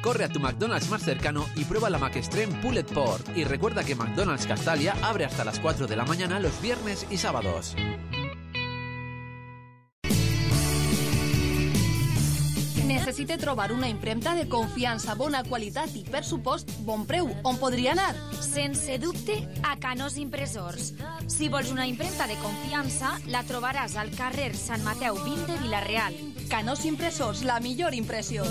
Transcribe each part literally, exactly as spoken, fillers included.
Corre a tu McDonald's más cercano y prueba la McExtreme Pulled Pork. Y recuerda que McDonald's Castalia abre hasta las cuatro de la mañana los viernes y sábados. Necessite trobar una impremta de confiança, bona qualitat i, per supost, bon preu. On podria anar? Sense dubte, a Canós Impressors. Si vols una impremta de confiança, la trobaràs al carrer Sant Mateu vint de Vila-real. Canós Impressors, la millor impressió.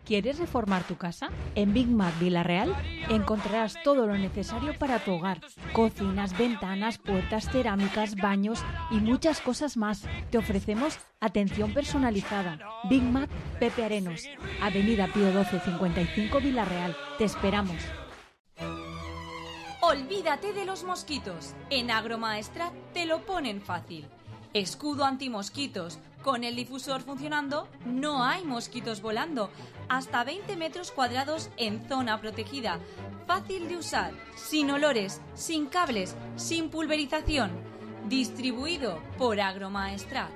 ¿Quieres reformar tu casa? En Big Mac Vila-real encontrarás todo lo necesario para tu hogar. Cocinas, ventanas, puertas, cerámicas, baños y muchas cosas más. Te ofrecemos atención personalizada. Big Mac Pepe Arenos, Avenida Pío doce cincuenta y cinco Vila-real. Te esperamos. Olvídate de los mosquitos. En Agromaestrat te lo ponen fácil. Escudo antimosquitos. Con el difusor funcionando, no hay mosquitos volando. Hasta veinte metros cuadrados en zona protegida. Fácil de usar, sin olores, sin cables, sin pulverización. Distribuido por Agromaestrat.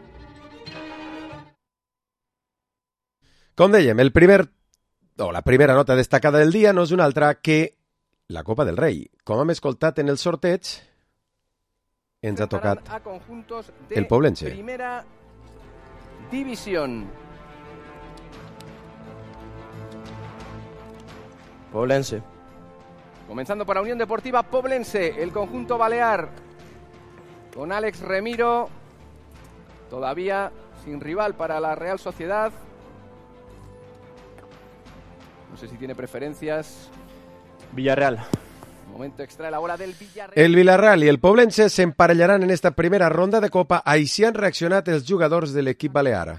Com dèiem, el primer, o la primera nota destacada del dia no és una altra que la Copa del Rei. Com hem escoltat en el sorteig, ens ha tocat el Poblense. Primera división. Poblense. Comenzando por la Unión Deportiva Poblense, el conjunto balear, con Alex Remiro, todavía sin rival para la Real Sociedad. No sé si tiene preferencias. Villarreal. Momento extra, la bola del Villarreal. El Villarreal i el Poblense s'emparellaran en esta primera ronda de Copa. Així han reaccionat els jugadors de l'equip balear.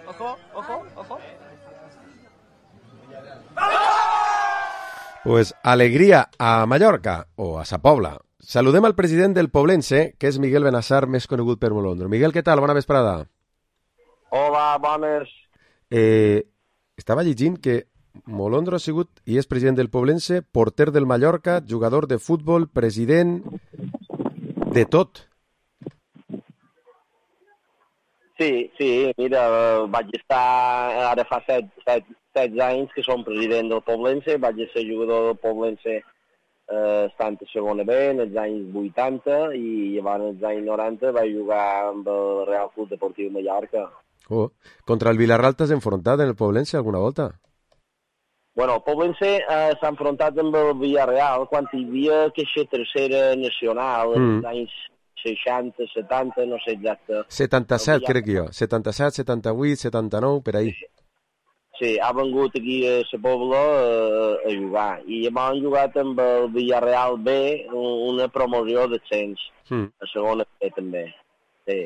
Ojo, ojo, ojo. Pues alegria a Mallorca o a Sa Pobla. Saludem al president del Poblense, que és Miguel Benassar, més conegut per Molondro. Miguel, què tal? Bona vesprada. Hola, bones. Eh, estava llegint que Molondro ha sigut i és president del Poblense, porter del Mallorca, jugador de futbol, president, de tot. Sí, sí, mira, vaig estar ara fa set, set, set anys que som president del Poblense, vaig ser jugador del Poblense eh, estant a segona B en els anys vuitanta i abans als anys noranta vaig jugar amb el Real Club Deportiu Mallorca. Oh. Contra el Villarreal t'has enfrontat en el Poblense alguna volta? Bueno, el Poblense eh, s'ha enfrontat amb el Villarreal quan hi havia aquesta tercera nacional en els mm. anys seixanta, setanta, no sé exacte. setanta-set, crec jo. setanta-set, setanta-vuit, setanta-nou, per ahí. Sí, ha vengut aquí a Sa Pobla eh, a jugar. I hem jugat amb el Villarreal B, una promoció d'ascens. Mm. A segona B, també. Sí.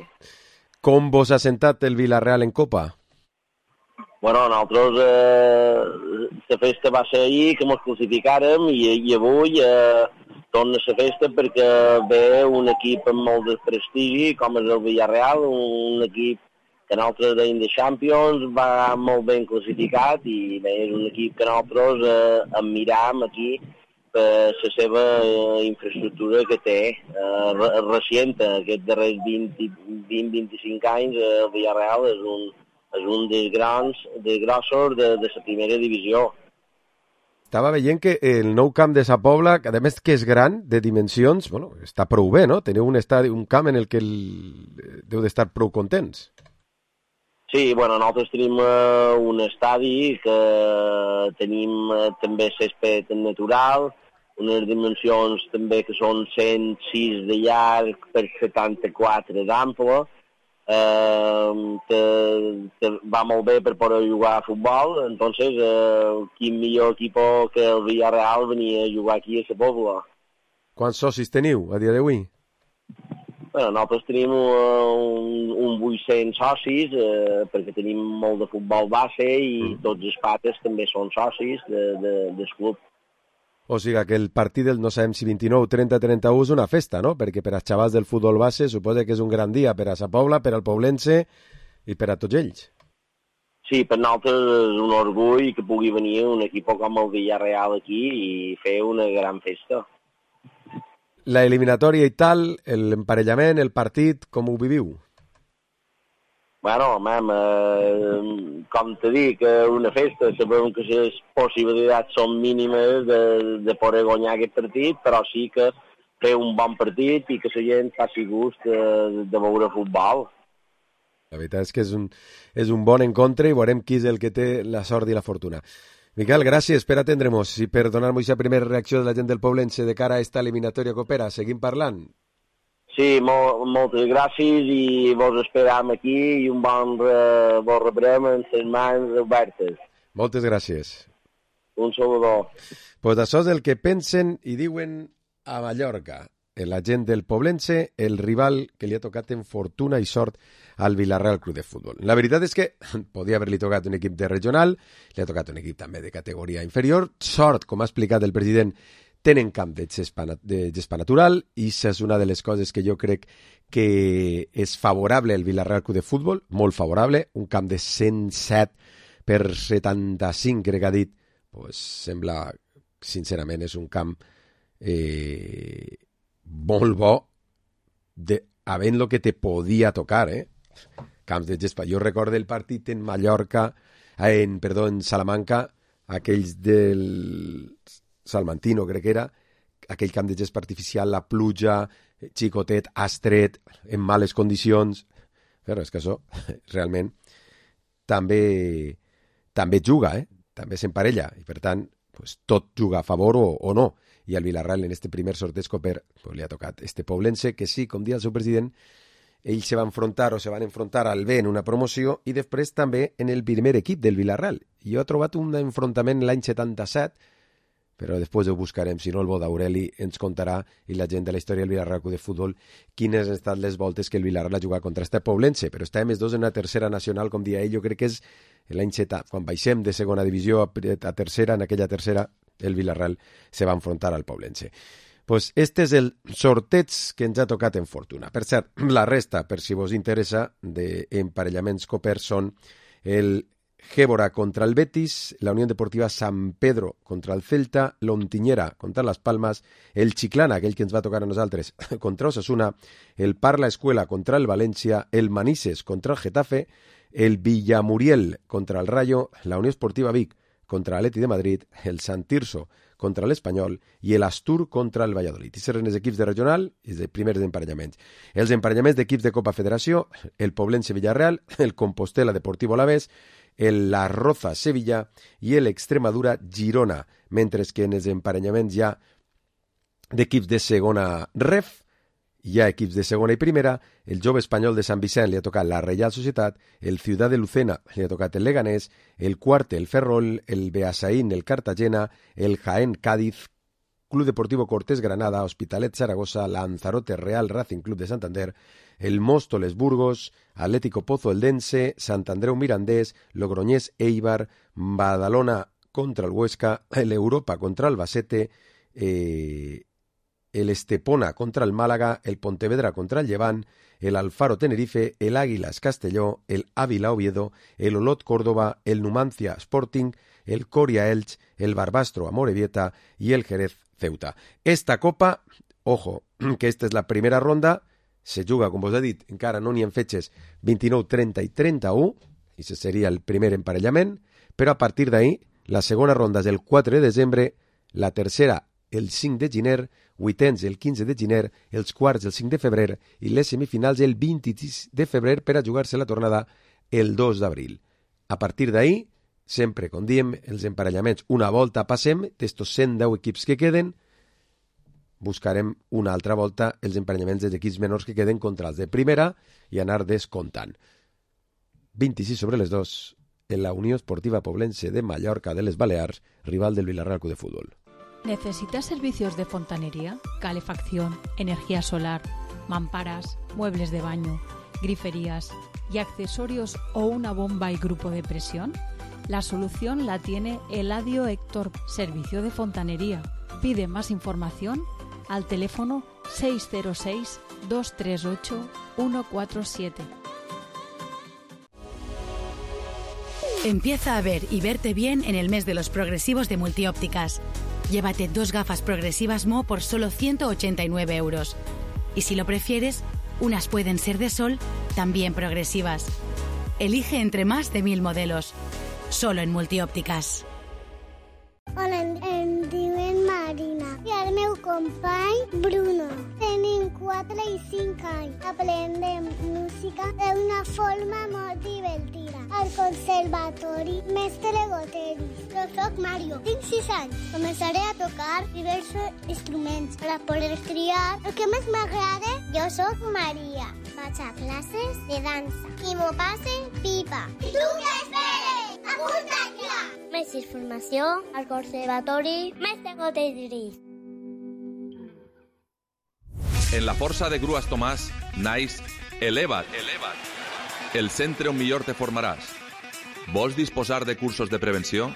Com vos ha sentat el Villarreal en Copa? Bueno, nosaltres, eh, la festa va ser ahir, que ens classificàrem, i, i avui... Eh, torna a la festa perquè ve un equip amb molt de prestigi, com és el Villarreal, un equip que nosaltres deim de Champions, va molt ben classificat i bé, és un equip que nosaltres eh, admiram aquí per la seva eh, infraestructura que té. Eh, recient, aquests darrers vint a vint-vint-cinc anys, eh, el Villarreal és un, és un dels grans, dels grossos de, de la primera divisió. Estava veient que el nou camp de Sa Pobla, que a més que és gran, de dimensions, bueno, està prou bé, no? Teniu un, estadi, un camp en el que el... deu d'estar prou contents. Sí, bueno, nosaltres tenim uh, un estadi que tenim uh, també césped natural, unes dimensions també que són cent sis de llarg per setanta-quatre d'ample, Uh, te, te va molt bé per poder jugar a futbol, entonces uh, quin millor equip que el Villarreal venia a jugar aquí a Sa Pobla. Quants socis teniu a dia d'avui? Bueno, nosaltres tenim uh, un, un vuit-cents socis uh, perquè tenim molt de futbol base i mm. tots els pates també són socis de, de, del club. O sigui que el partit del, no sabem si vint-i-nou, trenta, trenta-u és una festa, no? Perquè per als xavals del futbol base suposa que és un gran dia per a Sa Pobla, per al Poblense i per a tots ells. sí, per nosaltres és un orgull que pugui venir un equip com el Villarreal aquí i fer una gran festa. La eliminatòria i tal, l'emparellament, el partit, com ho viviu? Bueno, mam, eh, com te dic, una festa, sabem que les possibilitats són mínimes de, de poder guanyar aquest partit, però sí que fer un bon partit i que la gent faci gust de, de veure futbol. La veritat és que és un, és un bon encontre i veurem qui és el que té la sort i la fortuna. Miquel, gràcies per atendre'ns i per donar-nos aquesta primera reacció de la gent del Poblense de cara a esta eliminatòria que opera. Seguim parlant. Sí, molt, moltes gràcies i vos esperam aquí i un bon re, vos rebrem en les mans obertes. Moltes gràcies. Un saludor. Pues això és el que pensen i diuen a Mallorca. La gent del Poblense, el rival que li ha tocat en fortuna i sort al Villarreal Club de Futbol. La veritat és que podia haver-li tocat un equip de regional, li ha tocat un equip també de categoria inferior. Sort, com ha explicat el president, tenen camp de gespa, de gespa natural i això és una de les coses que jo crec que és favorable al Villarreal Club de Futbol, molt favorable, un camp de cent set per setanta-cinc, crec que ha dit, pues, sembla, sincerament, és un camp eh, molt bo de, havent lo que te podia tocar, eh? Camps de gespa. Jo recordo el partit en Mallorca, en, perdó, en Salamanca, aquells del Salmantino, crec que era, aquell camp de gespa artificial, la pluja, xicotet, estret, en males condicions. Però és que això, realment, també també juga, eh? També s'emparella, i per tant, pues, tot juga a favor o, o no. I al Villarreal, en este primer sorteig coper, pues, li ha tocat este Poblense, que sí, com dia el seu president, ell se va enfrontar o se van enfrontar al B en una promoció i després també en el primer equip del Villarreal. Jo he trobat un enfrontament l'any setanta-set, però després ho buscarem, si no el bo d'Aureli ens contarà i la gent de la història del Villarreal Club de Futbol quines han estat les voltes que el Villarreal ha jugat contra este Poblense, però estàvem els dos en una tercera nacional, com dia ell, jo crec que és l'any setanta, quan baixem de segona divisió a, a tercera, en aquella tercera el Villarreal se va enfrontar al Poblense. Pues este és el sorteig que ens ha tocat en fortuna. Per cert, la resta, per si vos interessa, d'emparellaments copers són el Gébora contra el Betis, la Unión Deportiva San Pedro contra el Celta, l'Ontinyera contra Las Palmas, el Chiclana, aquell que ens va tocar a nosaltres, contra Osasuna, el Parla Escuela contra el València, el Manises contra el Getafe, el Villamuriel contra el Rayo, la Unió Esportiva Vic contra l'Atleti de Madrid, el Sant Tirso contra l'Espanyol i l'Astur contra el Valladolid. I serien els equips de regional i els primers emparellaments. Els emparellaments d'equips de Copa Federació, el Poblense Villarreal, el Compostela Deportivo Alavés, el La Roza Sevilla i l'Extremadura Girona, mentre que en els emparellaments hi ha d'equips de segona ref, hi ha equips de segona i primera, el Jove Espanyol de Sant Vicent li ha tocat la Reial Societat, el Ciudad de Lucena li ha tocat el Leganés, el Cuarte el Ferrol, el Beasaín el Cartagena, el Jaén Cádiz, Club Deportivo Cortés Granada, Hospitalet Zaragoza, Lanzarote Real Racing Club de Santander, el Móstoles Burgos, Atlético Pozo Eldense, Sant Andreu Mirandés, Logroñés Eibar, Badalona contra el Huesca, el Europa contra el Albacete, eh, el Estepona contra el Málaga, el Pontevedra contra el Llevant, el Alfaro Tenerife, el Águilas Castelló, el Ávila Oviedo, el Olot Córdoba, el Numancia Sporting, el Coria Elche, el Barbastro Amorebieta y el Jerez Ceuta. Esta copa, ojo, que esta és la primera ronda, se juga, com vos he dit, encara no n'hi ha fetges vint-i-nou, trenta i trenta-u, i ese seria el primer emparellament, però a partir d'ahí, la segona ronda és el quatre de desembre, la tercera el cinc de gener, vuitens el quinze de gener, els quarts el cinc de febrer i les semifinals el vint-i-sis de febrer per a jugar-se la tornada el dos d'abril. A partir d'ahí, sempre, com diem, els emparellaments una volta passem d'estos cent deu equips que queden, buscarem una altra volta els emparellaments dels equips menors que queden contra els de primera i anar descomptant. vint-i-sis sobre les dos en la Unió Esportiva Poblense de Mallorca de les Balears, rival del Villarreal Club de Fútbol. ¿Necesitas servicios de fontanería, calefacción, energía solar, mamparas, muebles de baño, griferías y accesorios o una bomba y grupo de presión? La solución la tiene Eladio Héctor, Servicio de Fontanería. Pide más información al teléfono seis cero seis, dos tres ocho, uno cuatro siete. Empieza a ver y verte bien en el mes de los progresivos de Multiópticas. Llévate dos gafas progresivas M O por solo ciento ochenta y nueve euros. Y si lo prefieres, unas pueden ser de sol, también progresivas. Elige entre más de mil modelos. Solo en Multiópticas. Hola, em diuen Marina i el meu company Bruno. Tenim quatre i cinc anys. Aprendem música d'una forma molt divertida. Al conservatori Mestre Goteris. Jo soc Mario, tinc sis anys. Començaré a tocar diversos instruments per a poder triar el que més m'agrada. Jo soc Maria. Vaig a classes de dansa i m'ho passe pipa. I tu què esperes? Apunta't ja! Més informació al Conservatori Mestre Goteris. En la força de Grues Tomàs naix Eleva't, el centre on millor te formaràs. Vols disposar de cursos de prevenció?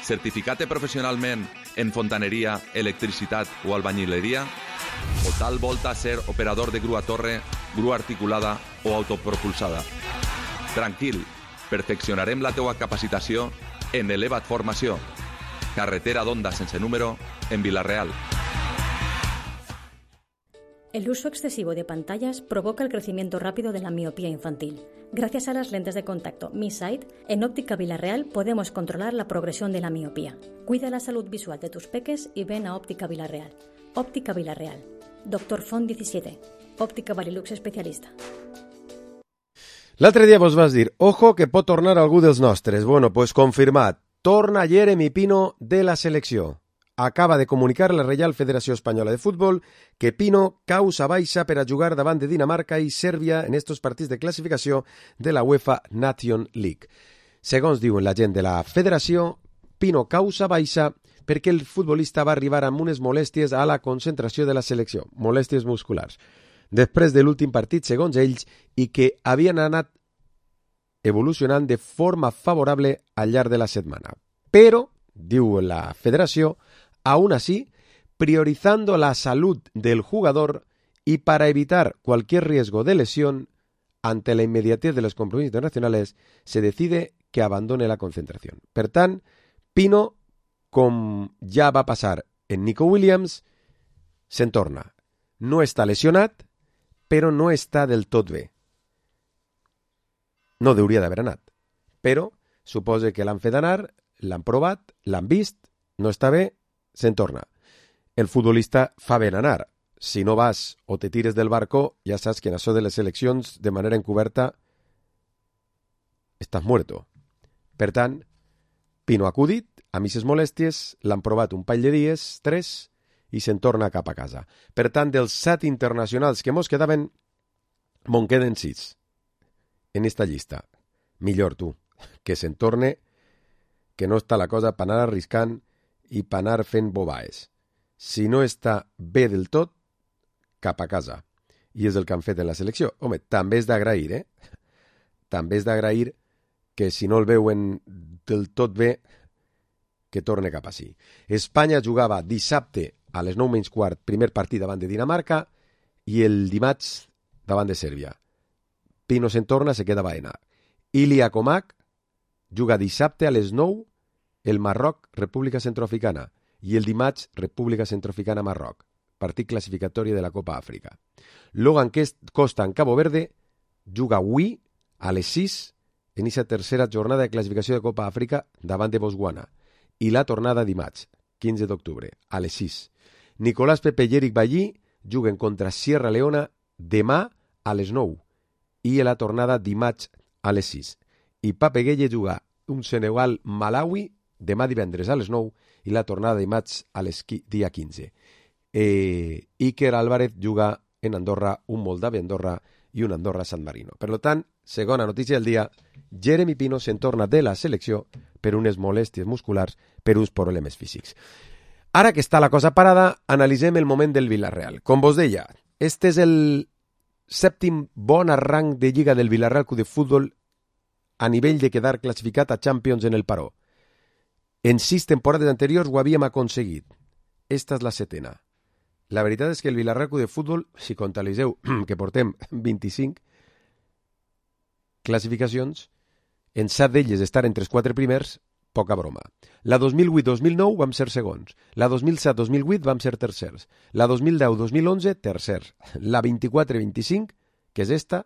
Certificat professionalment en fontaneria, electricitat o albañileria? O tal volta ser operador de grua torre, grua articulada o autopropulsada? Tranquil, perfeccionarem la teua capacitació en Eleva't Formació, carretera d'Onda sense número, en Vila-real. El uso excesivo de pantallas provoca el crecimiento rápido de la miopía infantil. Gracias a las lentes de contacto Mi Sight, en Óptica Vila-real podemos controlar la progresión de la miopía. Cuida la salud visual de tus peques y ven a Óptica Vila-real. Óptica Vila-real. Doctor Font diecisiete. Òptica Varilux especialista. L'altre dia vos vas dir, ojo que pot tornar algú dels nostres. Bueno, pues confirmat. Torna Jeremy Pino de la selecció. Acaba de comunicar la Reial Federació Espanyola de Futbol que Pino causa baixa per a jugar davant de Dinamarca i Sèrbia en estos partits de classificació de la UEFA Nation League. Segons diuen la gent de la federació, Pino causa baixa perquè el futbolista va arribar amb unes molèsties a la concentració de la selecció, molèsties musculars, després de l'últim partit, segons ells, i que havien anat evolucionant de forma favorable al llarg de la setmana. Però, diu la federació, aún así, priorizando la salud del jugador y para evitar cualquier riesgo de lesión ante la inmediatez de los compromisos internacionales, se decide que abandone la concentración. Per tant, Pino, com ja va passar en Nico Williams, se'n torna. No està lesionat, però no està del tot bé. No hauria d'haver anat, però suposa que l'han fet anar, l'han provat, l'han vist, no està bé, se'n torna. El futbolista fa ben anar. Si no vas o te tires del barco, ja saps que en això de les seleccions, de manera encoberta, estàs muerto. Per tant, Pino ha acudit, a misses molèsties, l'han provat un parell de dies, tres, i se'n torna cap a casa. Per tant, dels set internacionals que mos quedaven, me'n queden sis en esta llista. Millor tu, que se'n torne, que no està la cosa per anar arriscant i per anar fent bobaes. Si no està bé del tot, cap a casa. I és el que han fet en la selecció. Home, també és d'agrair, eh? També és d'agrair que si no el veuen del tot bé, que torne cap a si. Espanya jugava dissabte a les nou menys quart, primer partit davant de Dinamarca, i el dimarts davant de Sèrbia. Pino se'n torna, se queda a Baena. Ilya Comac juga dissabte a les nou el Marroc, República Centroafricana, i el dimarts República Centroafricana, Marroc, partit classificatori de la Copa Àfrica. Logan Costa en Cabo Verde juga avui a les sis en aquesta tercera jornada de classificació de Copa Àfrica davant de Botswana, i la tornada dimarts, quinze d'octubre, a les sis. Nicolás Pepe i Eric Ballí juguen contra Sierra Leona demà a les nou i la tornada dimarts a les sis. I Pape Gueye juga un Senegal-Malawi demà divendres a les nou i la tornada dimarts a les dia quinze. Eh, Iker Álvarez juga en Andorra, un Moldavi-Andorra i un Andorra-San Marino. Per tant, segona notícia del dia, Jeremy Pino se'n torna de la selecció per unes molèsties musculars, per uns problemes físics. Ara que està la cosa parada, analitzem el moment del Vila-real. Com vos deia, este és el sèptim bon arranc de Lliga del Vila-real Club de Futbol a nivell de quedar classificat a Champions en el Paró. En sis temporades anteriors ho havíem aconseguit. Esta és la setena. La veritat és que el Vila-real Club de Futbol, si comptabilitzeu que portem vint-i-cinc classificacions, en set d'elles estar entre els quatre primers, poca broma. La dos mil vuit dos mil nou vam ser segons. La dos mil set dos mil vuit vam ser tercers. La dos mil deu dos mil onze, tercers. La vint-i-quatre vint-i-cinc, que és esta,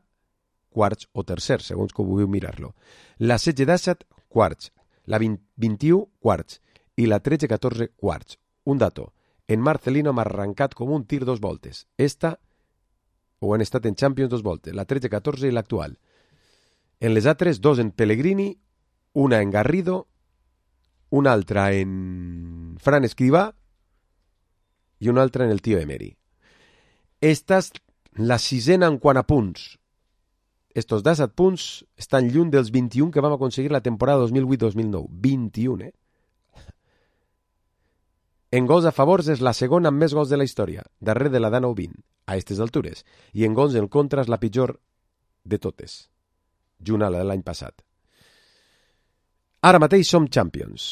quarts o tercers, segons que vulgueu mirar-lo. La setze disset, quarts. La vint, vint-i-u, quarts. I la tretze catorze, quarts. Un dato. En Marcelino m'ha arrencat com un tir dos voltes. Esta, o han estat en Champions dos voltes. La tretze catorze i l'actual. En les altres, dos en Pellegrini, una en Garrido, una altra en Fran Escrivá i una altra en el tio Emery. Esta és la sisena en quant a punts. Estos disset punts estan lluny dels vint-i-un que vam aconseguir la temporada dos mil vuit dos mil nou. vint-i-un, eh? En gols a favors és la segona amb més gols de la història, darrere de la d'Anou vint, a aquestes altures. I en gols en contra és la pitjor de totes, junt a la de l'any passat. Ara mateix som Champions.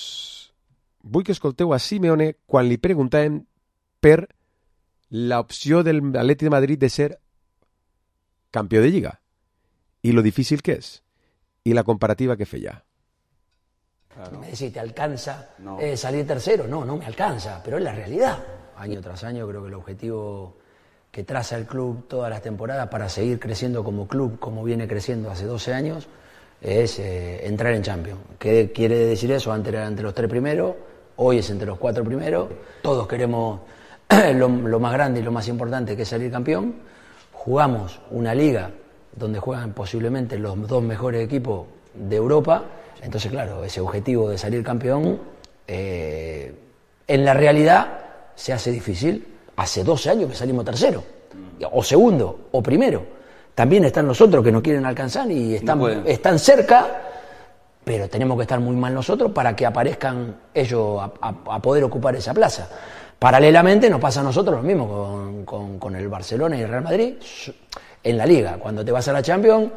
Vull que escolteu a Simeone quan li preguntàvem per l'opció del Atleti de Madrid de ser campió de Lliga i lo difícil que és i la comparativa que feia. Claro. Me decís, ¿te alcanza no. eh, salir tercero? No, no me alcanza, pero es la realidad. Año tras año creo que el objetivo que traza el club todas las temporadas para seguir creciendo como club, como viene creciendo hace doce años, es eh, entrar en Champions. ¿Qué quiere decir eso? Antes era entre los tres primeros, hoy es entre los cuatro primeros. Todos queremos lo, lo más grande y lo más importante, que es salir campeón. Jugamos una liga donde juegan posiblemente los dos mejores equipos de Europa. Entonces, claro, ese objetivo de salir campeón, eh, en la realidad se hace difícil. Hace doce años que salimos tercero, o segundo, o primero. También están los otros que no quieren alcanzar y están, no están cerca, pero tenemos que estar muy mal nosotros para que aparezcan ellos a, a, a poder ocupar esa plaza. Paralelamente nos pasa a nosotros lo mismo con, con, con el Barcelona y el Real Madrid en la Liga. Cuando te vas a la Champions,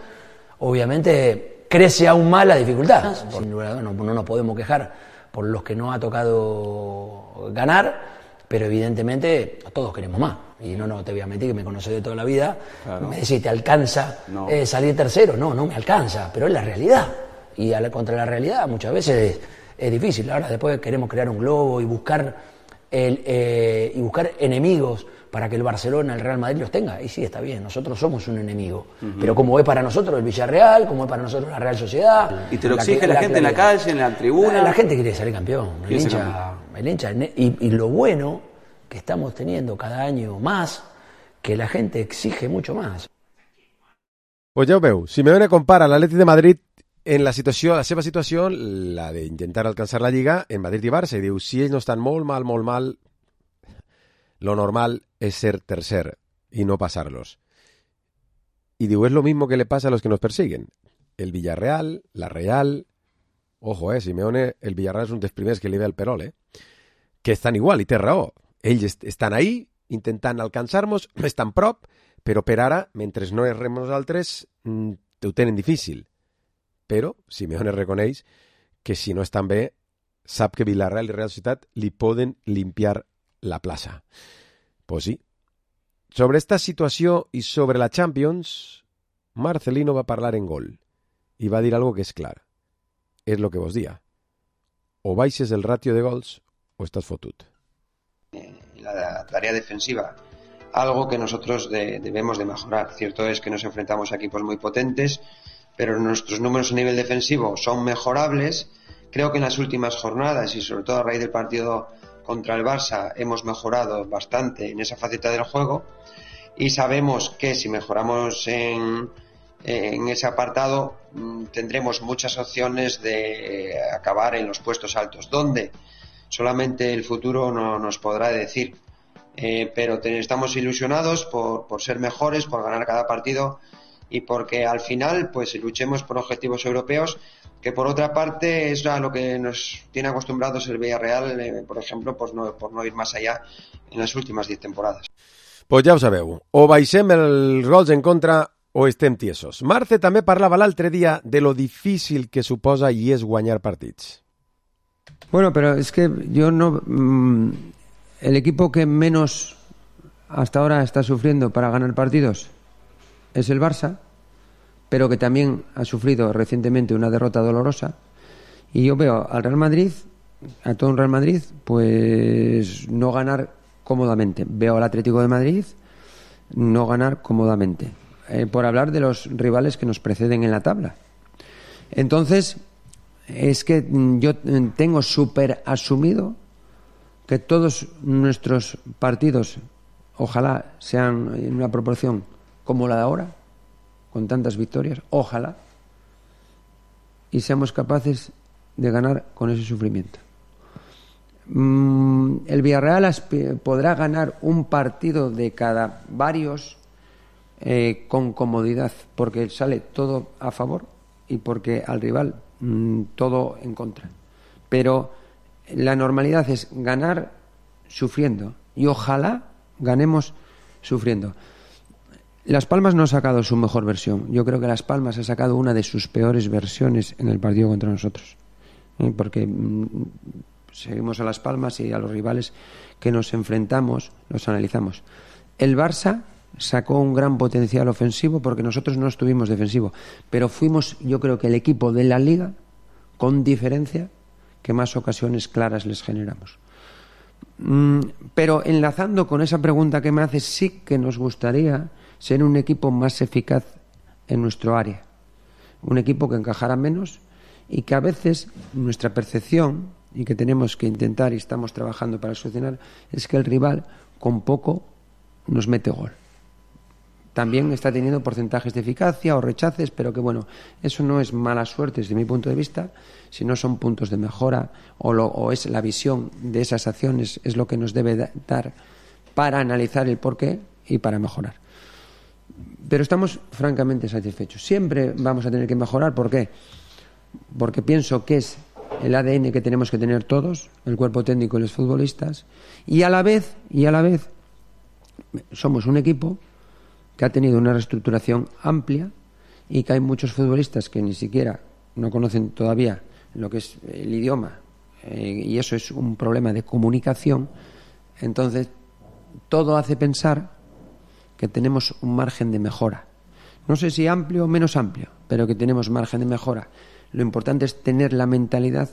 obviamente crece aún más la dificultad. Sin duda, no, no nos podemos quejar por los que no ha tocado ganar, pero evidentemente todos queremos más. Y no, no te voy a mentir, que me conoces de toda la vida. Claro. Me decís, ¿te alcanza no. eh, salir tercero? No, no me alcanza, pero es la realidad. Y a la, contra la realidad muchas veces es, es difícil. Ahora después queremos crear un globo y buscar, el, eh, y buscar enemigos para que el Barcelona, el Real Madrid los tenga. Y sí, está bien, nosotros somos un enemigo. Uh-huh. Pero como es para nosotros el Villarreal, como es para nosotros la Real Sociedad... Y te lo exige la, la gente la, en la calle, en la tribuna... La, la gente quiere salir campeón. El hincha, el hincha, y, y lo bueno que estamos teniendo cada año más, que la gente exige mucho más. Pues ja ho veu, Simeone compara l'Atleti de Madrid en la situació, la seva situació, la d'intentar alcançar la Lliga en Madrid i Barça, i diu, si ells no estan molt mal, molt mal, lo normal es ser tercer y no pasarlos. Y digo, es lo mismo que le pasa a los que nos persiguen. El Villarreal, la Real... Ojo, eh, Simeone, el Villarreal és un dels primers que li ve el perol, eh? Que estan igual, i té raó. Ells estan ahí, intentant alcançar-nos, estan prop, però per ara, mentre no errem nosaltres, ho tenen difícil. Però Simeone reconeix que si no estan bé, sap que Villarreal i Real Societat li poden limpiar la plaça. Pues sí. Sobre esta situació i sobre la Champions, Marcelino va parlar en gol i va dir algo que és clar. És lo que vos dia. O baixes el ratio de gols o estás fotut. La tarea defensiva, algo que nosotros de, debemos de mejorar. Cierto es que nos enfrentamos a equipos muy potentes, pero nuestros números a nivel defensivo son mejorables. Creo que en las últimas jornadas y sobre todo a raíz del partido contra el Barça hemos mejorado bastante en esa faceta del juego y sabemos que si mejoramos en, en ese apartado tendremos muchas opciones de acabar en los puestos altos, donde solamente el futuro no nos podrá decir, eh, pero te, estamos ilusionados por, por ser mejores, por ganar cada partido y porque al final pues luchemos por objetivos europeos, que por otra parte es a lo que nos tiene acostumbrados el Villarreal, eh, por ejemplo, pues no, por no ir más allá en las últimas diez temporadas. Pues ja ho sabeu, o baixem els gols en contra o estem tiesos. Marce també parlava l'altre dia de lo difícil que suposa i és guanyar partits. Bueno, pero es que yo no... Mmm, el equipo que menos hasta ahora está sufriendo para ganar partidos es el Barça, pero que también ha sufrido recientemente una derrota dolorosa. Y yo veo al Real Madrid, a todo un Real Madrid, pues no ganar cómodamente. Veo al Atlético de Madrid no ganar cómodamente. Eh, por hablar de los rivales que nos preceden en la tabla. Entonces, es que yo tengo súper asumido que todos nuestros partidos, ojalá sean en una proporción como la de ahora, con tantas victorias, ojalá, y seamos capaces de ganar con ese sufrimiento. Mm, el Villarreal podrá ganar un partido de cada varios eh, con comodidad, porque sale todo a favor y porque al rival mmm, todo en contra. Pero la normalidad es ganar sufriendo, y ojalá ganemos sufriendo. Las Palmas no ha sacado su mejor versión. Yo creo que Las Palmas ha sacado una de sus peores versiones en el partido contra nosotros, ¿eh? Porque mmm, seguimos a Las Palmas y a los rivales que nos enfrentamos los analizamos. El Barça sacó un gran potencial ofensivo porque nosotros no estuvimos defensivo, pero fuimos, yo creo que el equipo de la Liga con diferencia que más ocasiones claras les generamos. Mm, pero enlazando con esa pregunta que me haces, sí que nos gustaría ser un equipo más eficaz en nuestro área, un equipo que encajara menos y que a veces nuestra percepción, y que tenemos que intentar y estamos trabajando para solucionar, es que el rival con poco nos mete gol. También está teniendo porcentajes de eficacia o rechaces, pero que bueno, eso no es mala suerte desde mi punto de vista, sino son puntos de mejora o, lo, o es la visión de esas acciones, es lo que nos debe dar para analizar el porqué y para mejorar. Pero estamos francamente satisfechos. Siempre vamos a tener que mejorar. ¿Por qué? Porque pienso que es el A D N que tenemos que tener todos, el cuerpo técnico y los futbolistas, y a la vez, y a la vez somos un equipo que ha tenido una reestructuración amplia y que hay muchos futbolistas que ni siquiera no conocen todavía lo que es el idioma, eh, y eso es un problema de comunicación. Entonces todo hace pensar que tenemos un margen de mejora, no sé si amplio o menos amplio, pero que tenemos margen de mejora. Lo importante es tener la mentalidad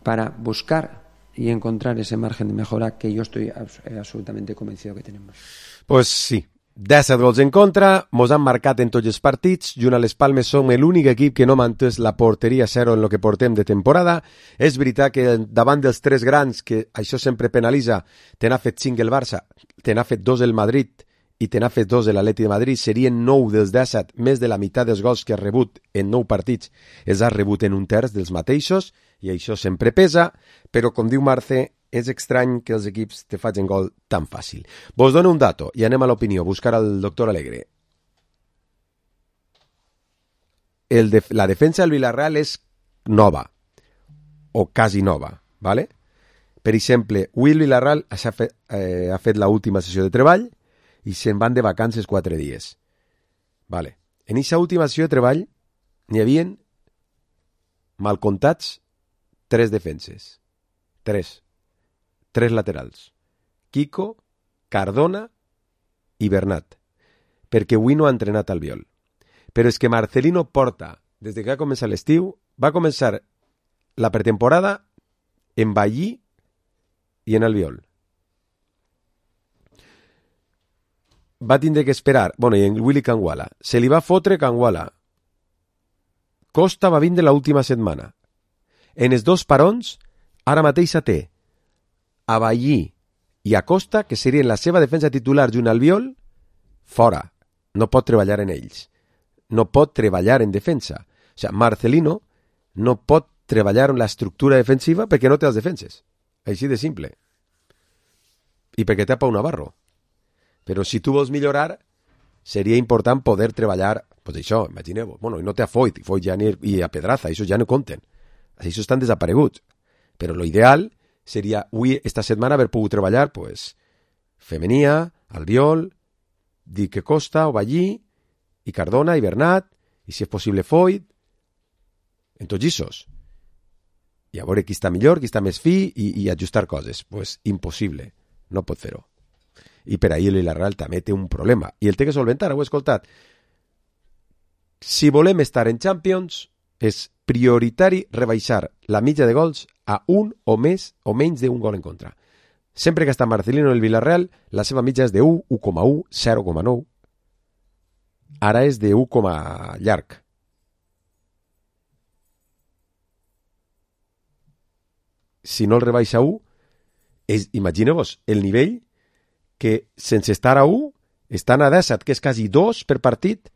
para buscar y encontrar ese margen de mejora que yo estoy abs- absolutamente convencido que tenemos. Pues sí, disset gols en contra, mos han marcat en tots els partits, junt a les Palmes som l'únic equip que no mantès la porteria zero en lo que portem de temporada. És veritat que davant dels tres grans, que això sempre penalitza, te n'ha fet cinc el Barça, te n'ha fet dos el Madrid i te n'ha fet dos l'Atleti de Madrid, serien nou dels disset, més de la meitat dels gols que ha rebut en nou partits els ha rebut en un terç dels mateixos, i això sempre pesa, però com diu Marce, és estrany que els equips te facin gol tan fàcil. Vos dono un dato i anem a l'opinió, buscar al doctor Alegre. El de, la defensa del Villarreal és nova, o quasi nova, ¿vale? Per exemple, Will Villarreal ha fet, eh, ha fet l'última sessió de treball i se'n van de vacances quatre dies. Vale. En aquesta última sessió de treball n'hi havia, mal comptats, tres defenses. Tres. Tres laterals. Kiko, Cardona i Bernat. Perquè avui no ha entrenat Albiol. Però és que Marcelino porta, des que ha començat l'estiu, va començar la pretemporada en Ballí i en Albiol. Va tindre que esperar, bueno, i en Willy Canguala. Se li va fotre Canguala. Costa va vindre l'última setmana. En els dos parons, ara mateix té a Ballí i a Costa, que serien la seva defensa titular junt al Albiol, fora. No pot treballar en ells. No pot treballar en defensa. O sigui, Marcelino no pot treballar en l'estructura defensiva perquè no té els defenses. Així de simple. I perquè té a Pau Navarro. Però si tu vols millorar, seria important poder treballar, pues això, imagineu-vos, bueno, i no té a Foyt, i Foyt ja ni, i a Pedraza, això ja no compten. Això estan desapareguts. Però lo ideal seria, avui, esta setmana, haver pogut treballar, pues, Femenia, Albiol, Dique Costa, o Ballí, i Cardona, i Bernat, i si és possible Foyt, en tots issos. I a veure qui està millor, qui està més fi, i, i ajustar coses. Pues impossible, no pot fer-ho. I per ahir el Villarreal també té un problema, i el té que solventar, ho he escoltat. si volem estar en Champions, és prioritari rebaixar la mitja de gols a un o més o menys d'un gol en contra. Sempre que està Marcelino en el Villarreal, la seva mitja és de u, u coma u, zero coma nou. Ara és de u, llarg. Si no el rebaixa a u, és, imagineu-vos el nivell que sense estar a u, estan a disset, que és quasi dos per partit,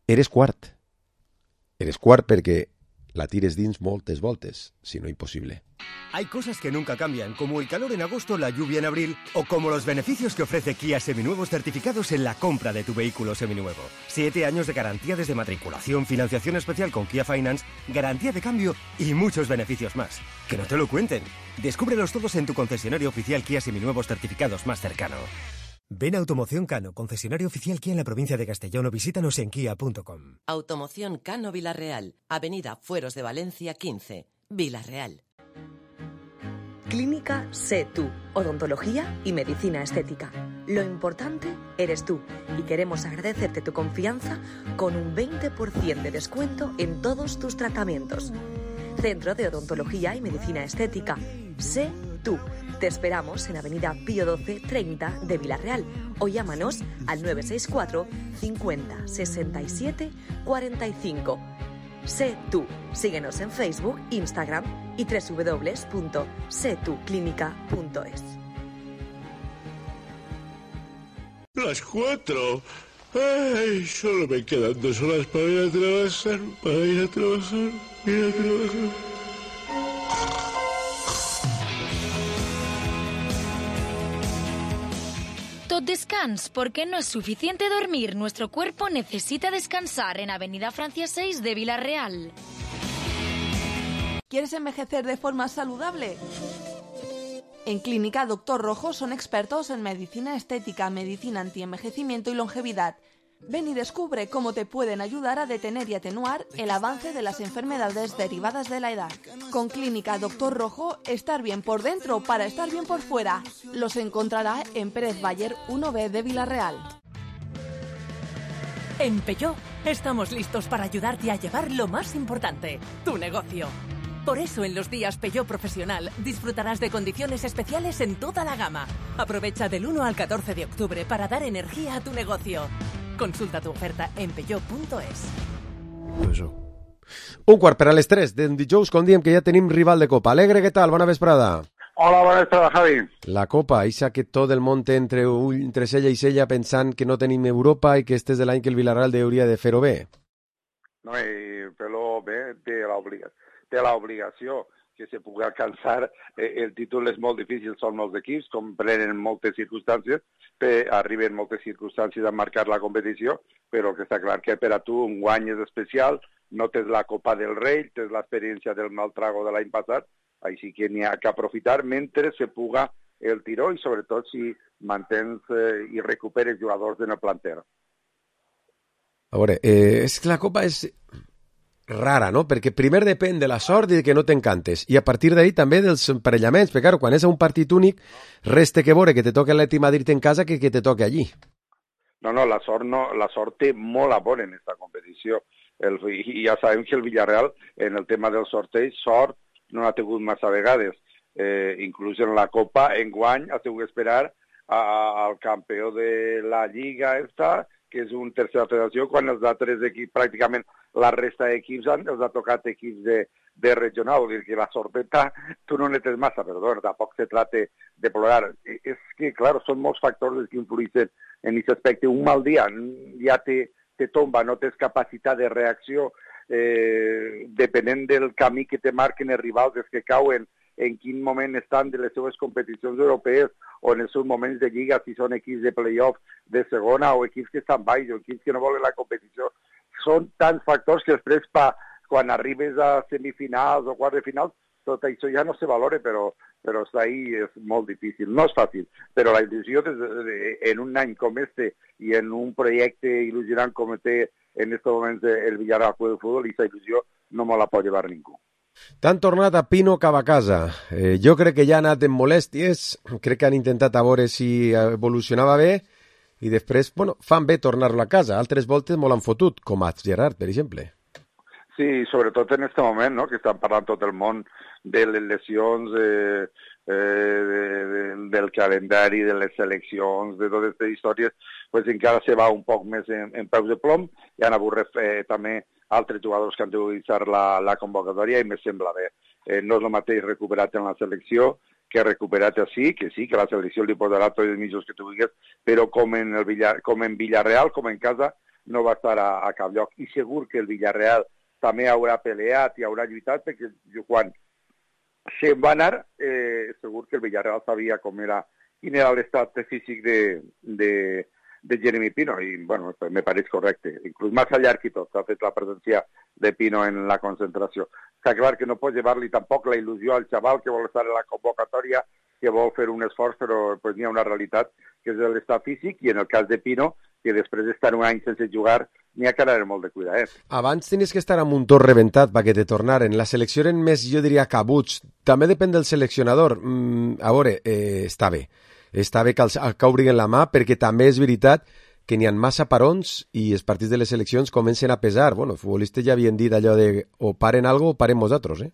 eres quart. Eres quart perquè la tires dins moltes voltes, si no imposible. Hay cosas que nunca cambian, como el calor en agosto, la lluvia en abril, o como los beneficios que ofrece Kia Seminuevos certificados en la compra de tu vehículo seminuevo. Siete años de garantía desde matriculación, financiación especial con Kia Finance, garantía de cambio y muchos beneficios más. Que no te lo cuenten. Descúbrelos todos en tu concesionario oficial Kia Seminuevos certificados más cercano. Ven a Automoción Cano, concesionario oficial Kia en la provincia de Castellón, o visítanos en kia punto com. Automoción Cano Villarreal, Avenida Fueros de Valencia quince, Villarreal. Clínica Sé Tú, odontología y medicina estética. Lo importante eres tú y queremos agradecerte tu confianza con un veinte por ciento de descuento en todos tus tratamientos. Centro de Odontología y Medicina Estética. Sé Tú. Te esperamos en Avenida Pío doce treinta de Villarreal o llámanos al nueve seis cuatro cincuenta sesenta y siete cuarenta y cinco. Sé Tú. Síguenos en Facebook, Instagram y doble u doble u doble u punto sé tú clínica punto es. Las cuatro. Ay, solo me quedan dos horas para ir a trabajar, para ir a trabajar, ir a trabajar. Tot descans, porque no es suficiente dormir. Nuestro cuerpo necesita descansar en Avenida Francia seis de Villarreal. ¿Quieres envejecer de forma saludable? En Clínica Doctor Rojo son expertos en medicina estética, medicina antienvejecimiento y longevidad. Ven y descubre cómo te pueden ayudar a detener y atenuar el avance de las enfermedades derivadas de la edad. Con Clínica Doctor Rojo, estar bien por dentro para estar bien por fuera. Los encontrará en Pérez Bayer uno B de Villarreal. En Peugeot estamos listos para ayudarte a llevar lo más importante, tu negocio. Por eso en los días Peugeot Profesional disfrutarás de condiciones especiales en toda la gama. Aprovecha del uno al catorce de octubre para dar energía a tu negocio. Consulta tu oferta en peugeot punto es. Un quart per a les tres d'en dijous, com diem que ja tenim rival de Copa. Alegre, què tal? Bona vesprada. Hola, bona vesprada, Javi. La Copa, eixa que tot el món té entre, entre sella i sella pensant que no tenim Europa i que este és l'any que el Villarreal hauria de fer-ho bé. No, i fer-ho bé té l'obligació que se pugui alcançar. Eh, el títol és molt difícil, són molts equips, comprenen moltes circumstàncies, pe, arriben moltes circumstàncies a marcar la competició, però que està clar que per a tu un guany és especial, no tens la Copa del Rei, tens l'experiència del Maltrago de l'any passat, així que n'hi ha que aprofitar mentre se puga el tiró i sobretot si mantens eh, i recuperes jugadors en el planter. A veure, eh, és que la Copa és rara, no? Perquè primer depèn de la sort i de que no t'encantes, i a partir d'ahí també dels emparellaments, perquè clar, quan és un partit únic, resta que veure que te toque l'Atlètic Madrid en casa que que te toque allí. No, no, la sort, no, la sort té molt a veure en aquesta competició. El, I ja sabem que el Villarreal, en el tema del sorteig, sort no n'ha tingut massa vegades. Eh, inclús en la Copa, en guany, ha tingut que esperar a, al campió de la Lliga esta, que és un tercera federació, quan els altres equips, pràcticament la resta d'equips han, els ha tocat equips de, de regional, vull dir que la sorteta tu no netes massa, perdó, tampoc se trata de plorar. És que, clar, són molts factors que influïssin en aquest aspecte. Un mal dia ja te, te tomba, no tens capacitat de reacció, eh, depenent del camí que te marquen els rivals, els que cauen, en quin moment estan de les seves competicions europees o en els seus moments de lliga, si són equips de play-off de segona o equips que estan baix o equips que no volen la competició. Són tants factors que després, pa, quan arribes a semifinals o quarts de finals, tot això ja no se valora, però, però està ahí, és molt difícil. No és fàcil, però la il·lusió des de, en un any com este i en un projecte il·lusionant com té en aquest moment el Villarreal Club de Futbol, aquesta il·lusió no me la pot llevar ningú. T'han tornat a Pino cap a casa. Eh, jo crec que ja ha anat en molèsties, crec que han intentat a veure si evolucionava bé i després, bueno, fan bé tornar-lo a casa. Altres voltes molt han fotut, com a Gerard, per exemple. Sí, sobretot en aquest moment, no?, que estan parlant tot el món de les lesions, eh, eh, de, de, del calendari, de les seleccions, de totes aquestes històries, pues encara se va un poc més en, en peus de plom, i han hagut eh, també altres jugadors que han d'utilitzar la, la convocatòria, i me sembla bé. Eh, no és el mateix recuperat en la selecció que recuperat així, que sí, que la selecció li posarà tots els mitjos que tu vulguis, però com en, el Villar, com en Villarreal, com en casa, no va estar a, a cap lloc. I segur que el Villarreal també haurà peleat i haurà lluitat, perquè quan se'n va anar, eh, segur que el Villarreal sabia com era, quin era l'estat físic de, de, de Jeremy Pino, i bueno, me pareix correcte. Inclús més llarg i tot, s'ha fet la presència de Pino en la concentració. Està clar que no pots llevar-li tampoc la il·lusió al xaval que vol estar en la convocatòria, que vol fer un esforç, però pues, n'hi ha una realitat que és l'estat físic, i en el cas de Pino, que després d'estar un any sense jugar, n'hi ha que anar molt de cuidar. Eh? Abans tenies que estar amb un tor rebentat perquè te tornaren. La selecció eren més, jo diria, cabuts. També depèn del seleccionador. Mm, a veure, eh, està bé. Està bé que, els, que obrin la mà, perquè també és veritat que n'hi ha massa parons i els partits de les seleccions comencen a pesar. Bueno, els futbolistes ja havien dit allò de o paren algo o parem nosaltres, eh?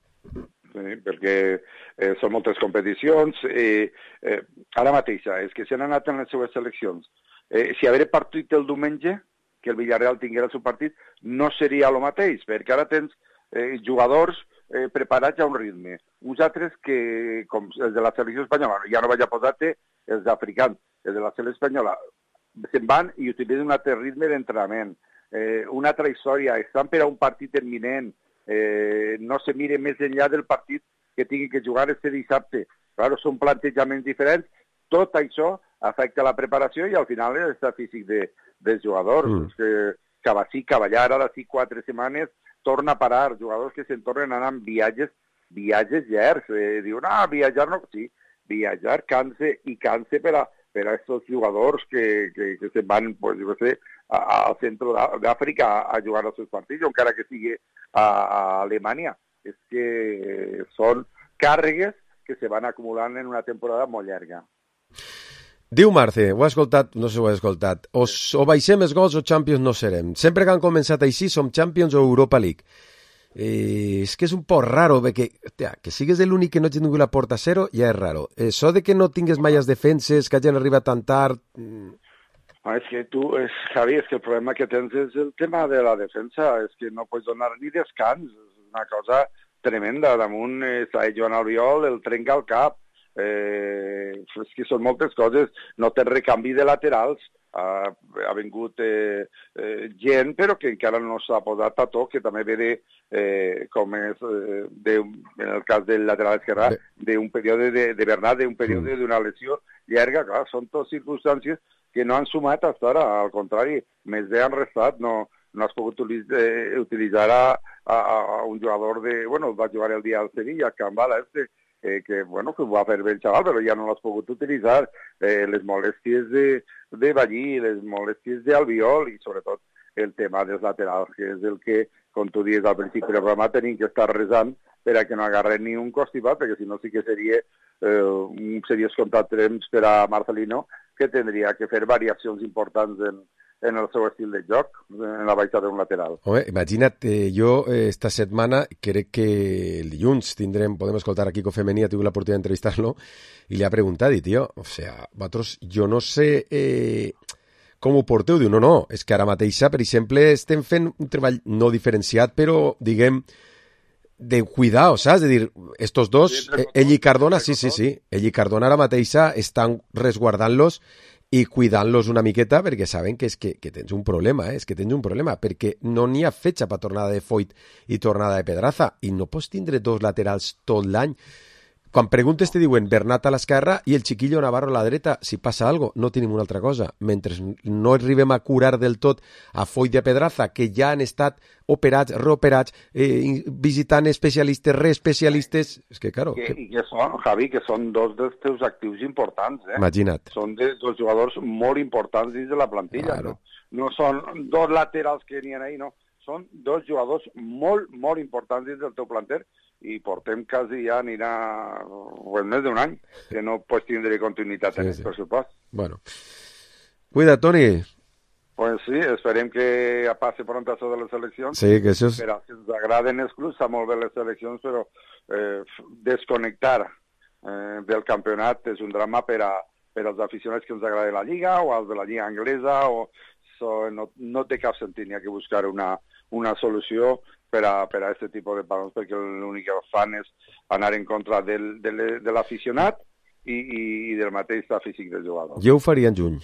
Sí, perquè eh, són moltes competicions. Eh, eh, ara mateixa, és que s'han anat en les seves seleccions. Eh, si haver partit el diumenge, que el Villarreal tinguera el seu partit, no seria el mateix, perquè ara tens eh, jugadors eh, preparats a un ritme. Uns altres que, com els de la selecció espanyola, ja no vaig a posar-te els africans, els de la selecció espanyola, se'n van i utilitzen un altre ritme d'entrenament, eh, una altra història, estan per a un partit imminent, eh, no se mire més enllà del partit que tinguin que jugar este dissabte. Claro, són plantejaments diferents, tot això afecta la preparació i al final l'estat físic de, dels jugadors. Mm. Que Cavací, Cavallar, ara sí quatre setmanes, torna a parar, jugadors que se'n tornen a anar amb viatges, viatges llargs. Eh, diuen, ah, viatjar no... Sí, viatjar canse i canse per a per a aquests jugadors que, que, que se'n van, pues, jo sé, al centre d'Àfrica a, a jugar els seus partits, encara que sigui a, a Alemanya. És que són càrregues que se van acumulant en una temporada molt llarga. Diu Marce, ho ha escoltat, no sé si ho ha escoltat, o, o baixem els gols o Champions no serem. Sempre que han començat així som Champions o Europa League. Eh, és que és un poc raro, perquè hòstia, que sigues l'únic que no ha tingut la porta a zero ja és raro. Això de que no tingues mai les defenses, que hagin arribat tan tard... Ah, és que tu, és, Javi, és que el problema que tens és el tema de la defensa, és que no pots donar ni descans, és una cosa tremenda. Damunt eh, està Joan Albiol, el trenca al cap, eh, és que són moltes coses, no tens recanvi de laterals, ha, ha vingut eh, eh, gent, però que encara no s'ha posat a to, que també ve de, eh, com és, eh, de, en el cas del lateral esquerrà, d'un període de, de Bernat, d'un període d'una lesió llarga. Clar, són totes circumstàncies que no han sumat fins ara, al contrari, més bé han restat, no, no has pogut utilitzar, eh, utilitzar a, a, a un jugador de... Bueno, va jugar el dia al Sevilla, Cambala, este, eh, que, bueno, que ho va fer bé el xaval, però ja no l'has pogut utilitzar. Eh, les molèsties de, de Ballí, les molèsties d'Albiol i, sobretot, el tema dels laterals, que és el que, com tu dius al principi del programa, tenim que estar resant per a que no agarren ni un constipat, perquè si no sí que seria eh, un seriós contratemps per a Marcelino, que tindria que fer variacions importants en, en el seu estil de joc, en la baixada d'un lateral. Home, imagina't, eh, jo eh, esta setmana crec que el dilluns tindrem, podem escoltar a Kiko Femení, ha tingut l'oportunitat d'entrevistar-lo, i li ha preguntat, i tio, o sea, vosaltres, jo no sé eh, com ho porteu? Diu, no, no, és que ara mateixa, per exemple, estem fent un treball no diferenciat, però, diguem, de cuidar, saps? De dir, estos dos, eh, ell i Cardona, sí, sí, sí, ell i Cardona ara mateixa estan resguardant-los i cuidant-los una miqueta perquè saben que és que, que tens un problema, eh? És que tens un problema, perquè no n'hi ha fetge per tornada de Foyt i tornada de Pedraza, i no pots tindre dos laterals tot l'any. Quan preguntes te diuen Bernat a l'esquerra i el xiquillo Navarro a la dreta, si passa algo, no tenim una altra cosa. Mentre no arribem a curar del tot a Foyt i a Pedraza, que ja han estat operats, reoperats, eh, visitant especialistes, reespecialistes... És que, claro... Que, que... I que són, Javi, que són dos dels teus actius importants, eh? Imagina't. Són de, dos jugadors molt importants dins de la plantilla, claro. no? No són dos laterals que n'hi ha ahí, no. Són dos jugadors molt, molt importants dins del teu planter, i portem quasi ja anirà pues, més d'un any que no pots tindre continuïtat sí, en el sí. pressupost. Bueno, Cuida, Toni. Pues sí, esperem que passi pront això de les eleccions. Sí, que això és... Per als que ens agraden els clubs, està molt bé les eleccions, però eh, desconnectar eh, del campionat és un drama per, a, per als aficionats que ens agrada la Lliga o als de la Lliga anglesa. O, so, no, no té cap sentit, n'hi ha que buscar una, una solució per a, per a aquest tipus de parons, perquè l'únic que fan és anar en contra del, del, de l'aficionat i, i del mateix físic del jugador. Jo ho faria en juny.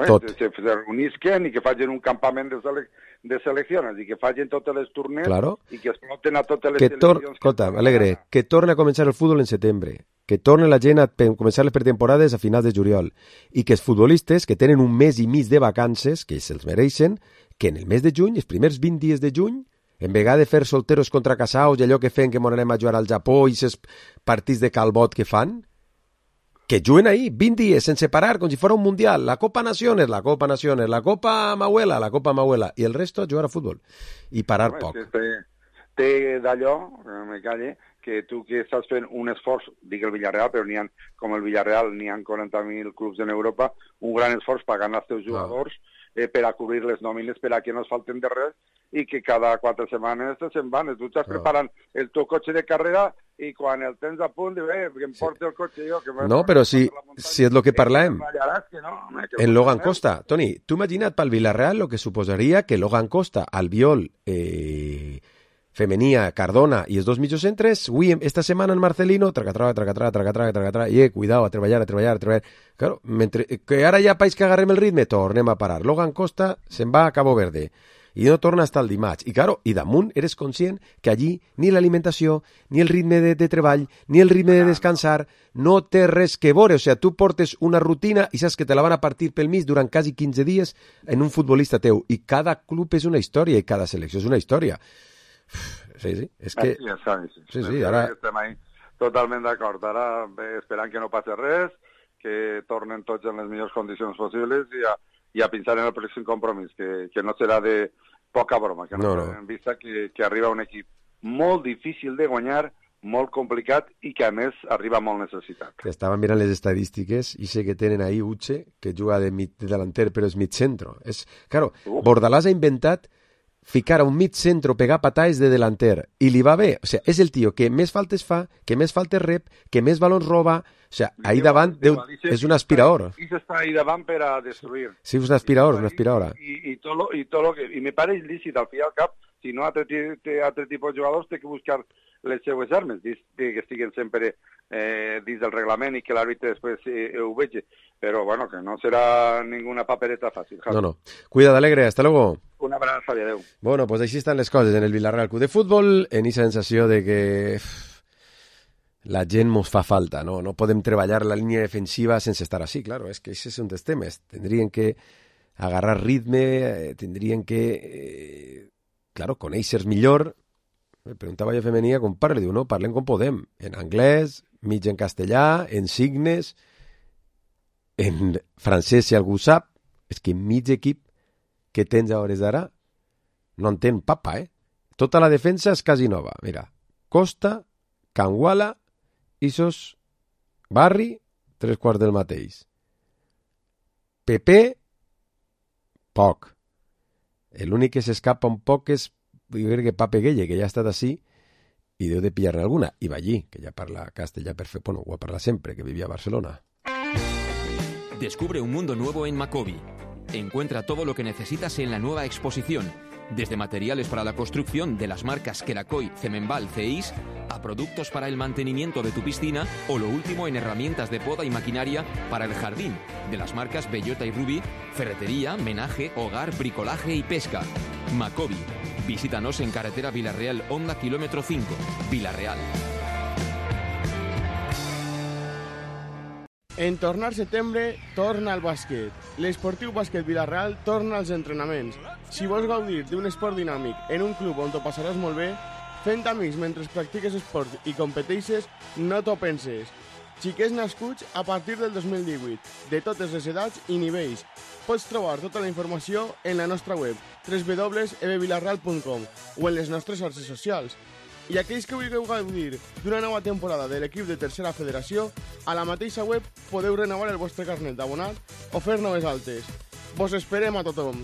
Tot. Se, se reunisquen i que facin un campament de, sele de seleccions i que facin totes les tornes claro. i que exploten a totes les que tor seleccions. Escolta, Alegre, que torne a començar el futbol en setembre, que torne la gent a començar les pretemporades a finals de juliol i que els futbolistes que tenen un mes i mig de vacances, que se'ls mereixen, que en el mes de juny, els primers vint dies de juny, en vegada de fer solteros contra casaus i allò que fem que m'anem a jugar al Japó i aquests partits de calbot que fan, que juguen ahí, vint dies, sense parar, com si fos un mundial. La Copa Naciones, la Copa Naciones, la Copa Mahuela, la Copa Mahuela, i el resto a jugar a futbol. I parar Home, poc. Té, té d'allò, me calle, que tu que estàs fent un esforç, dic el Villarreal, però n'hi ha, com el Villarreal, n'hi ha quaranta mil clubs en Europa, un gran esforç pagant als teus jugadors eh, per a cobrir les nòmines, per a que no es falten de res, i que cada quatre setmanes se'n van. Tu estàs preparant el teu cotxe de carrera i quan el tens a punt, dius, eh, que em porti el cotxe jo. Que no, però si, si és el que parlem. Que no, que en Logan Costa. Toni, tu imagina't pel Villarreal el que suposaria que Logan Costa, Albiol, eh, Femenia, Cardona i els dos mitjocentres, avui, esta setmana en Marcelino, tracatrà, tracatrà, tracatrà, tracatrà, i eh, cuidao, a treballar, a treballar, a treballar. Claro, mentre, que ara ja país que agarrem el ritme, tornem a parar. Logan Costa se'n va a Cabo Verde i no torna hasta el dimarts. I claro, i damunt eres conscient que allí ni l'alimentació, ni el ritme de, de treball, ni el ritme de descansar no té res que veure. O sigui, tu portes una rutina i saps que te la van a partir pel mig durant quasi quinze dies en un futbolista teu. I cada club és una història i cada selecció és una història. Sí, sí, és que... Sí, ja sí, sí, sí, ara... Estem ahí totalment d'acord. Ara esperant que no passi res, que tornen tots en les millors condicions possibles i a, i a pensar en el pròxim compromís, que, que no serà de poca broma, que no, no, no. En vista que, que arriba un equip molt difícil de guanyar, molt complicat i que a més arriba molt necessitat. Que estava mirant les estadístiques i sé que tenen ahí Uche, que juga de, mig, de delanter però és mig centro. És, claro, uh. Bordalàs ha inventat ficar a un mig centro, pegar pataes de delanter, i li va bé. O sigui, és el tio que més faltes fa, que més faltes rep, que més balons roba. O sigui, ahí davant Déu, és un aspirador. I s'està ahí davant per a destruir. Sí, és un aspirador, una aspiradora. I, i, tot lo, i, tot lo que, i me pareix lícit, al fi al cap, si no altre, altre tipus de jugadors té que buscar les seues armes, que estiguen sempre eh, dins del reglament i que l'àrbitre després eh, ho vegi. Però, bueno, que no serà ninguna papereta fàcil. No, no. Cuida d'Alegre, hasta luego. Una abraçada, adeu. Bueno, pues així estan les coses en el Villarreal Club de Futbol, en aquesta sensació de que la gent mos fa falta, no? No podem treballar la línia defensiva sense estar així, claro, és que això és un dels temes. Tendrien que agarrar ritme, eh, tendrien que, eh, claro, conèixer millor. Me preguntava jo a Femenia com parla, diu, no, parlem com podem, en anglès, mig en castellà, en signes, en francès si algú sap. És que mig equip que tens a hores d'ara no entén papa, eh? Tota la defensa és quasi nova. Mira, Costa, Canguala, Isos, Barri, tres quarts del mateix. Pepe, poc. L'únic que s'escapa un poc és, jo crec que Pape Gueye, que ja ha estat així, i deu de pillar-ne alguna. I Ballí, que ja parla castellà perfecte, bueno, ho parla sempre, que vivia a Barcelona. Descubre un mundo nuevo en Macobi. Encuentra todo lo que necesitas en la nueva exposición, desde materiales para la construcción de las marcas Queracoy, Cemenbal, Ceis, a productos para el mantenimiento de tu piscina o lo último en herramientas de poda y maquinaria para el jardín, de las marcas Bellota y Rubí, ferretería, menaje, hogar, bricolaje y pesca. Macobi. Visítanos en carretera Villarreal, Honda, kilómetro cinco, Villarreal. En tornar setembre, torna al bàsquet. L'esportiu bàsquet Villarreal torna als entrenaments. Si vols gaudir d'un esport dinàmic en un club on t'ho passaràs molt bé, fent amics mentre practiques esport i competeixes, no t'ho penses. Xiquets nascuts a partir del dos mil divuit, de totes les edats i nivells. Pots trobar tota la informació en la nostra web, w w w punt e b villarreal punt com, o en les nostres xarxes socials. I aquells que vulgueu gaudir d'una nova temporada de l'equip de Tercera Federació, a la mateixa web podeu renovar el vostre carnet d'abonat o fer noves altes. Vos esperem a tothom.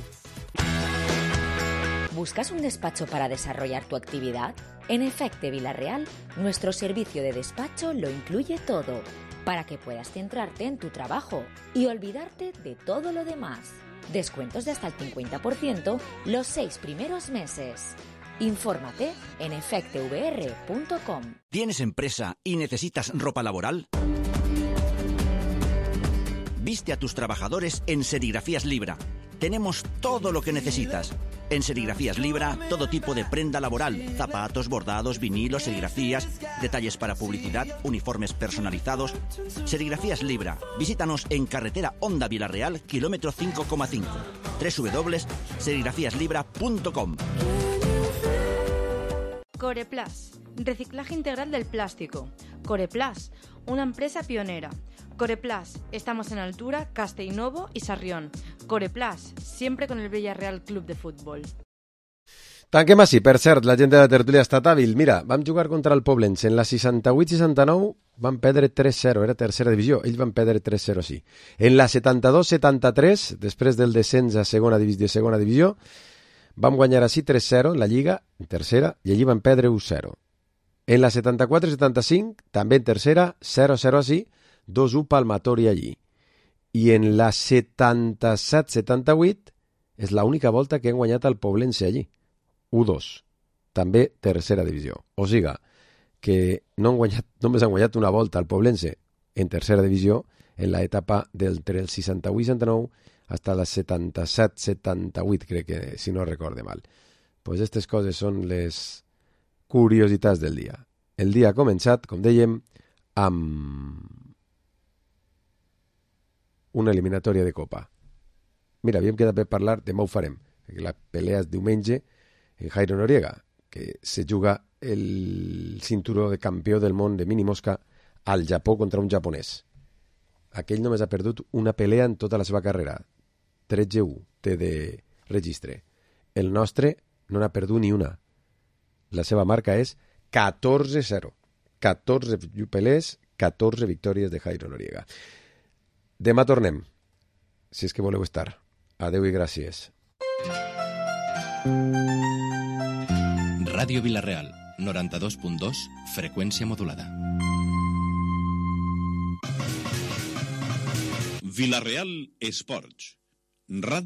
¿Buscas un despacho para desarrollar tu actividad? En Efecte Villarreal, nuestro servicio de despacho lo incluye todo, para que puedas centrarte en tu trabajo y olvidarte de todo lo demás. Descuentos de hasta el cincuenta por ciento los seis primeros meses. Infórmate en efecte v r punto com. ¿Tienes empresa y necesitas ropa laboral? Viste a tus trabajadores en Serigrafías Libra. Tenemos todo lo que necesitas. En Serigrafías Libra, todo tipo de prenda laboral, zapatos, bordados, vinilos, serigrafías, detalles para publicidad, uniformes personalizados. Serigrafías Libra. Visítanos en carretera Honda Villarreal, kilómetro cinco coma cinco. doble u doble u doble u punto serigrafías libra punto com. Coreplas, reciclaje integral del plástico. Coreplas, una empresa pionera. Coreplas, estamos en Altura, Castellnovo y Sarrión. Coreplas, siempre con el Villarreal Club de Fútbol. Tanquem així, per cert, la gent de la tertúlia ha estat hàbil. Mira, vam jugar contra el Poblense. En la seixanta-vuit seixanta-nou van perdre tres zero, era tercera divisió. Ells van perdre tres zero, sí. En la setanta-dos setanta-tres, després del descens a segona divisió, segona divisió, vam guanyar així tres zero en la Lliga, en tercera, i allí van perdre u zero. En la setanta-quatre setanta-cinc, també en tercera, zero zero així, dos u palmatori allí. I en la setanta-set setanta-vuit és l'única volta que hem guanyat el Poblense allí. u dos. També tercera divisió. O sigui que no han guanyat, només han guanyat una volta al Poblense en tercera divisió en l'etapa del el seixanta-vuit seixanta-nou fins la setanta-set setanta-vuit, crec que, si no recorde mal. Pues aquestes coses són les curiositats del dia. El dia ha començat, com dèiem, amb una eliminatòria de Copa. Mira, havíem quedat per parlar, demà ho farem, que la pelea és diumenge en Jairo Noriega, que se juga el cinturó de campió del món de mini mosca al Japó contra un japonès. Aquell només ha perdut una pelea en tota la seva carrera. tretze u té de registre. El nostre no n'ha perdut ni una. La seva marca és catorze zero. catorze pelees, catorze victòries de Jairo Noriega. Demà tornem, si és que voleu estar. Adeu i gràcies. Ràdio Villarreal, noranta-dos punt dos, freqüència modulada. Villarreal Esports. Ràdio